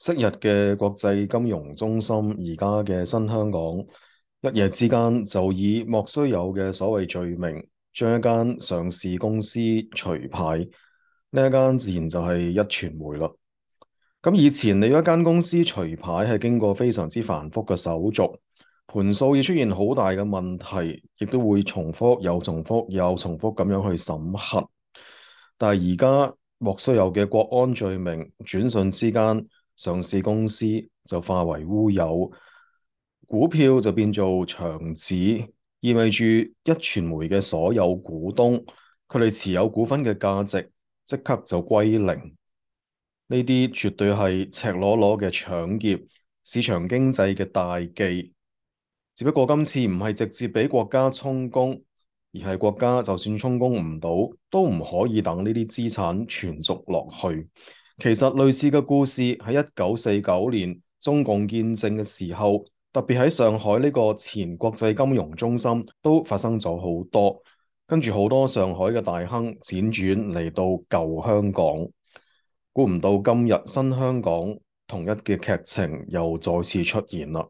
昔日嘅國際金融中心，而家嘅新香港，一夜之間就以莫須有嘅所謂罪名，將一間上市公司除牌。呢一間自然就係一傳媒啦。咁以前你一間公司除牌係經過非常之繁複嘅手續，盤數要出現好大嘅問題，亦都會重複又重複又重複咁樣去審核。但係而家莫須有嘅國安罪名，轉瞬之間，上市公司就化為烏有，股票就變做牆紙，意味住一傳媒嘅所有股東，佢哋持有股份嘅價值即刻就歸零。呢啲絕對係赤裸裸嘅搶劫，市場經濟嘅大忌。只不過今次唔係直接俾國家充公，而係國家就算充公唔到，都唔可以等呢啲資產存續落去。其實類似嘅故事喺1949年中共建政嘅時候，特別喺上海呢個前國際金融中心都發生咗好多，跟住好多上海嘅大亨輾轉嚟到舊香港。估唔到今日新香港同一嘅劇情又再次出現啦。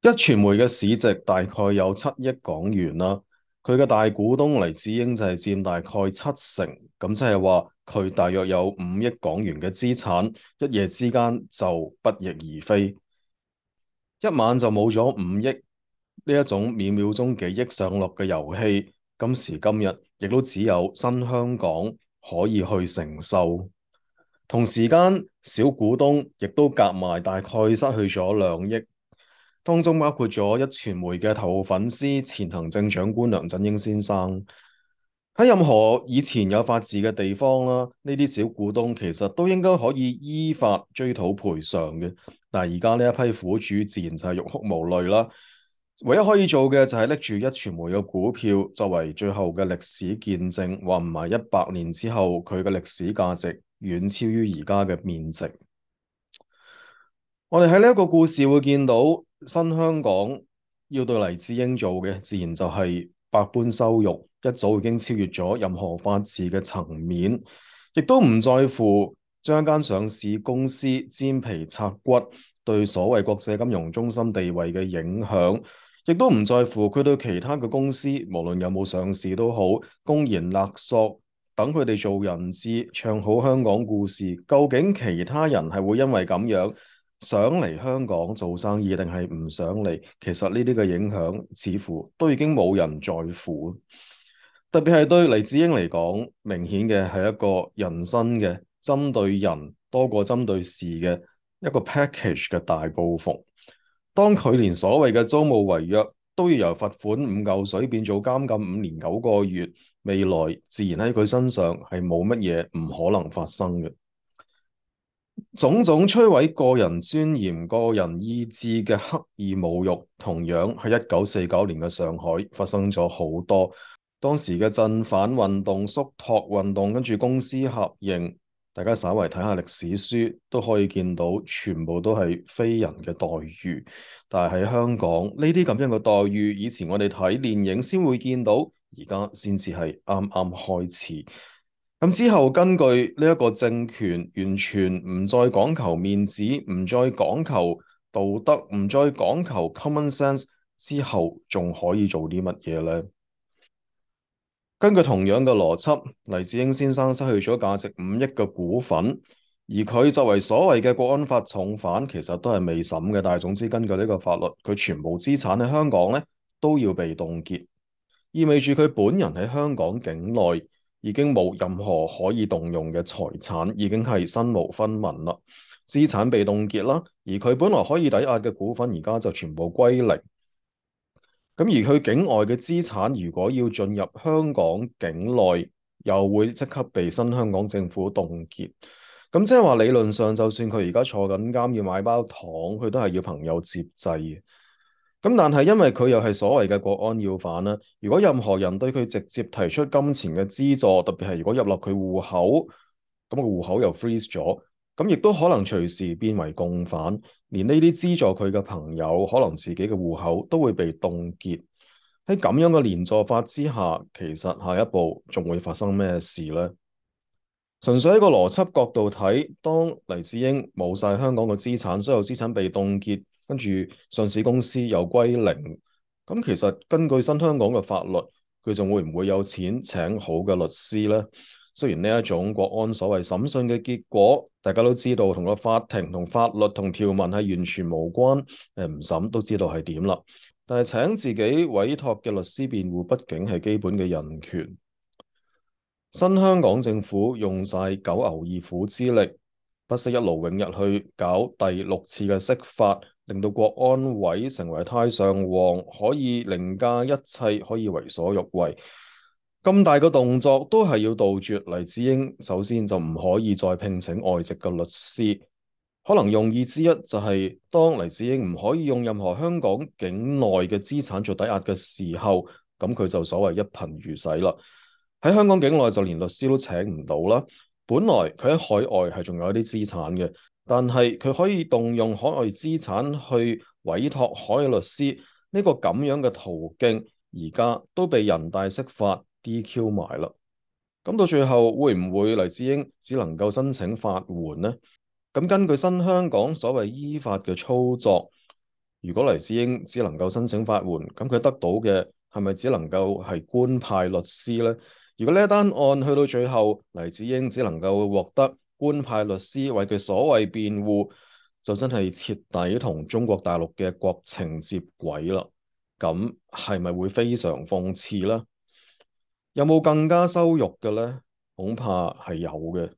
一傳媒嘅市值大概有7億港元啦，佢嘅大股東黎智英就係佔大概70%，咁即係話佢大約有5億港元嘅資產，一夜之間就不翼而飛，一晚就冇咗5億。呢一種秒秒鐘幾億上落嘅遊戲，今時今日亦都只有新香港可以去承受。同時間，小股東亦都夾埋大概失去咗2億，當中包括咗一傳媒嘅頭號粉絲前行政長官梁振英先生。喺任何以前有法治嘅地方啦，呢啲小股東其實都應該可以依法追討賠償嘅。但係而家呢一批苦主自然就係欲哭無淚啦。唯一可以做嘅就係拎住一傳媒嘅股票作為最後嘅歷史見證，話唔埋100年之後佢嘅歷史價值遠超於而家嘅面值。我哋喺呢一個故事會見到新香港要對黎智英做嘅，自然就係百般羞辱，一早已經超越咗任何法治嘅層面，亦都唔在乎將一間上市公司煎皮拆骨對所謂國際金融中心地位嘅影響，亦都唔在乎佢對其他嘅公司，無論有冇上市都好，公然勒索，等佢哋做人質，唱好香港故事。究竟其他人係會因為咁樣想嚟香港做生意，定係唔想嚟？其實呢啲嘅影響似乎都已經冇人在乎。特別係對黎智英嚟講，明顯嘅係一個人身嘅針對人多過針對事嘅一個 package 嘅大報復。當佢連所謂嘅租務違約都要由罰款5嚿水變做監禁5年9個月，未來自然喺佢身上係冇乜嘢唔可能發生嘅。種種摧毀個人尊嚴、個人意志嘅刻意侮辱，同樣喺1949年嘅上海發生咗好多。當時嘅鎮反運動、肅托運動，跟住公私合營，大家稍為睇下歷史書都可以見到，全部都係非人嘅待遇。但係喺香港呢啲咁樣嘅待遇，以前我哋睇電影先會見到，而家先至係啱啱開始。咁之後，根據呢一個政權完全唔再講求面子，唔再講求道德，唔再講求 common sense，之後仲可以做啲乜嘢呢？根據同樣嘅邏輯，黎智英先生失去咗價值5億嘅股份，而佢作為所謂嘅國安法重犯，其實都係未審嘅。但係總之，根據呢個法律，佢全部資產喺香港咧都要被凍結，意味住佢本人喺香港境內已經冇任何可以動用嘅財產，已經係身無分文啦，資產被凍結啦，而佢本來可以抵押嘅股份，而家就全部歸零。咁而佢境外嘅資產，如果要進入香港境內，又會即刻被新香港政府凍結。咁即係話理論上，就算佢而家坐緊監要買包糖，佢都係要朋友接濟嘅。咁但係因為佢又係所謂嘅國安要犯啦，如果任何人對佢直接提出金錢嘅資助，特別係如果入落佢戶口，咁個戶口又 freeze 咗。咁亦都可能隨時變為共犯，連呢啲資助佢嘅朋友，可能自己嘅戶口都會被凍結。喺咁樣嘅連坐法之下，其實下一步仲會發生咩事呢？純粹喺個邏輯角度睇，當黎智英冇晒香港嘅資產，所有資產被凍結，跟住上市公司又歸零，咁其實根據新香港嘅法律，佢仲會唔會有錢請好嘅律師呢？雖然呢一種國安所謂審訊嘅結果，大家都知道同個法庭、同法律、同條文係完全無關，唔審都知道係點啦。但係請自己委託嘅律師辯護，畢竟係基本嘅人權。新香港政府用晒九牛二虎之力，不惜一勞永逸去搞第六次嘅釋法，令到國安委成為太上皇，可以凌駕一切，可以為所欲為。咁大嘅動作都係要杜絕黎智英，首先就唔可以再聘請外籍嘅律師。可能用意之一就係當黎智英唔可以用任何香港境內嘅資產做抵押嘅時候，咁佢就所謂一貧如洗啦。喺香港境內就連律師都請唔到啦。本來佢喺海外係仲有一啲資產嘅，但係佢可以動用海外資產去委託海外律師呢個咁樣嘅途徑，而家都被人大釋法 DQ 埋啦。咁到最後會唔會黎智英只能夠申請法援呢？咁根據新香港所謂依法嘅操作，如果黎智英只能夠申請法援，咁佢得到嘅係咪只能夠係官派律師呢？如果呢一單案去到最後，黎智英只能夠獲得官派律師為佢所謂辯護，就真係徹底同中國大陸嘅國情接軌啦。咁係咪會非常諷刺呢？有冇更加羞辱嘅呢？恐怕係有嘅。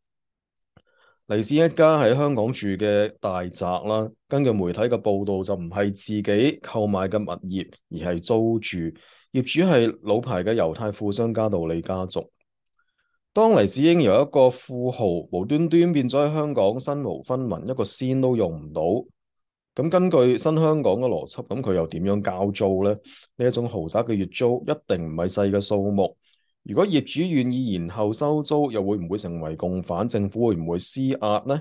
黎智英一家喺香港住嘅大宅啦，根據媒體嘅報道就唔係自己購買嘅物業，而係租住，業主係老牌嘅猶太富商加道理家族。當黎智英由一個富豪無端端變咗喺香港身無分文，一個仙都用唔到，咁根據新香港嘅邏輯，咁佢又點樣交租呢？呢一種豪宅嘅月租一定唔係細嘅數目。如果業主願意延後收租，又會唔會成為共犯？政府會唔會施壓呢？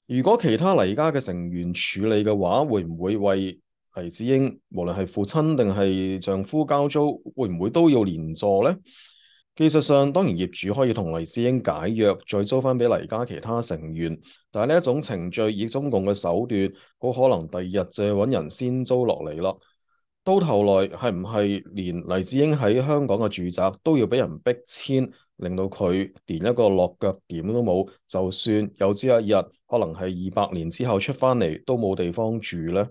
如果其他黎家嘅成員處理嘅話，會唔會為黎智英無論係父親定係丈夫交租，會唔會都要連坐呢？技術上，當然業主可以同黎智英解約，再租翻俾黎家其他成員。但係呢一種程序以中共嘅手段，好可能第二日就揾人先租落嚟啦。到頭來係唔係連黎智英喺香港嘅住宅都要俾人逼遷，令到佢連一個落腳點都冇？就算有朝一日，可能係200年之後出翻嚟，都冇地方住呢？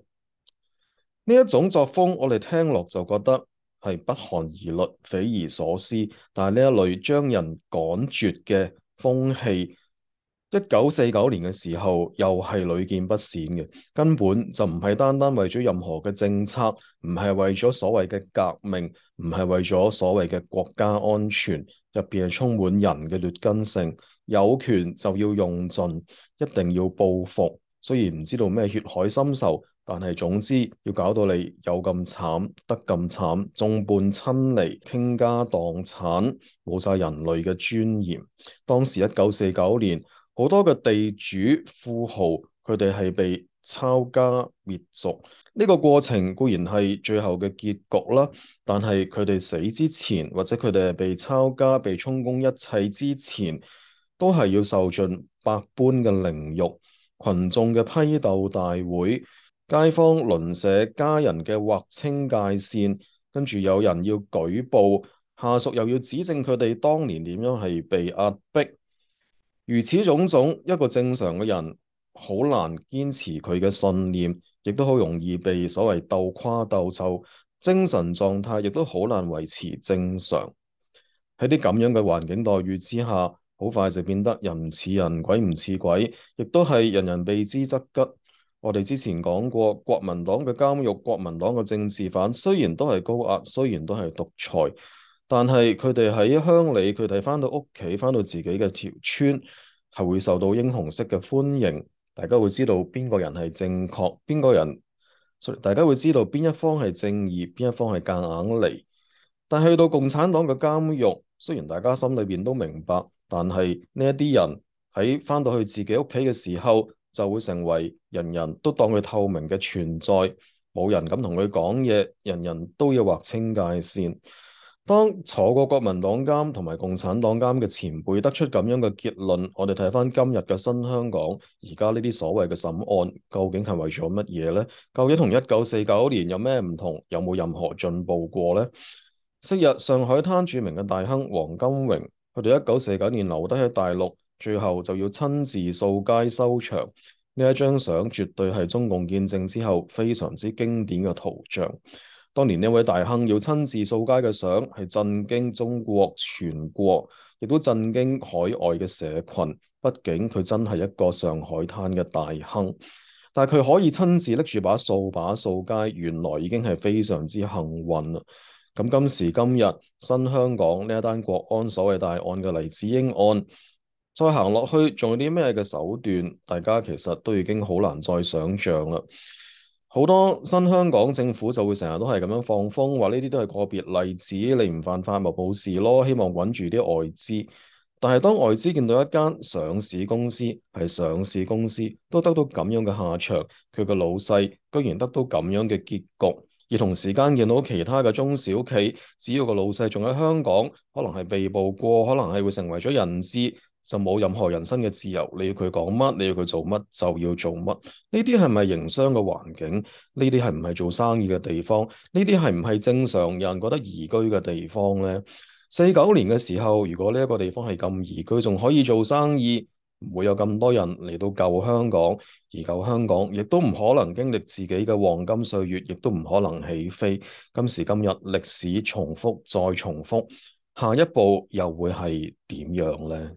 呢一種作風，我哋聽落就覺得係不寒而栗、匪夷所思。但係呢一類將人趕絕嘅風氣，1949年嘅時候又係屢見不鮮嘅，根本就唔係單單為咗任何嘅政策，唔係為咗所謂嘅革命，唔係為咗所謂嘅國家安全，入邊係充滿人嘅劣根性，有權就要用盡，一定要報復。雖然唔知道咩血海深仇。但係總之要搞到你有咁慘，得咁慘，眾叛親離，傾家蕩產，冇晒人類嘅尊嚴。當時1949年，好多嘅地主富豪，佢哋係被抄家滅族。呢個過程固然係最後嘅結局啦，但係佢哋死之前，或者佢哋係被抄家、被充公一切之前，都係要受盡百般嘅凌辱，群眾嘅批鬥大會。街坊鄰舍家人嘅劃清界線，跟住有人要舉報，下屬又要指證佢哋當年點樣係被壓迫，如此種種，一個正常嘅人好難堅持佢嘅信念，亦都好容易被所謂鬥垮鬥臭，精神狀態亦都好難維持正常。喺啲咁樣嘅環境待遇之下，好快就變得人唔似人，鬼唔似鬼，亦都係人人避之則吉。我哋之前講過，國民黨嘅監獄、國民黨嘅政治犯，雖然都係高壓，雖然都係獨裁，但係佢哋喺鄉里，佢哋翻到屋企，翻到自己嘅條村，係會受到英雄式嘅歡迎。大家會知道邊個人係正確，邊個人，大家會知道邊一方係正義，邊一方係夾硬嚟。但係去到共產黨嘅監獄，雖然大家心裏邊都明白，但係呢一啲人喺翻到去自己屋企嘅時候，就會成為人人都當佢透明嘅存在，冇人敢同佢講嘢，人人都要劃清界線。當坐過國民黨監同埋共產黨監嘅前輩得出咁樣嘅結論，我哋睇翻今日嘅新香港，而家呢啲所謂嘅審案，究竟係為咗乜嘢呢？究竟同1949年有咩唔同？有冇任何進步過呢？昔日上海灘著名嘅大亨黃金榮，佢哋1949年留低喺大陸，最後就要親自掃街收場。呢一張相絕對係中共建政之後非常之經典嘅圖像。當年呢位大亨要親自掃街嘅相，係震驚中國全國，亦都震驚海外嘅社群。畢竟佢真係一個上海灘嘅大亨，但係佢可以親自拎住把掃把掃街，原來已經係非常之幸運啦。咁今時今日，新香港呢一單國安所謂大案嘅黎智英案，再行落去仲有啲咩嘅手段？大家其實都已經好難再想像啦。好多新香港政府就會成日都係咁樣放風，話呢啲都係個別例子，你唔犯法咪冇事咯，希望穩住啲外資。但係當外資見到一間上市公司係上市公司都得到咁樣嘅下場，佢個老細居然得到咁樣嘅結局，而同時間見到其他嘅中小企，只要個老細仲喺香港，可能係被捕過，可能係會成為咗人質，就冇任何人身嘅自由。你要佢講乜，你要佢做乜就要做乜。呢啲係咪營商嘅環境？呢啲係唔係做生意嘅地方？呢啲係唔係正常人覺得宜居嘅地方呢？49年嘅時候，如果呢一個地方係咁宜居，仲可以做生意，唔會有咁多人嚟到舊香港，而舊香港亦都唔可能經歷自己嘅黃金歲月，亦都唔可能起飛。今時今日歷史重複再重複，下一步又會係點樣呢？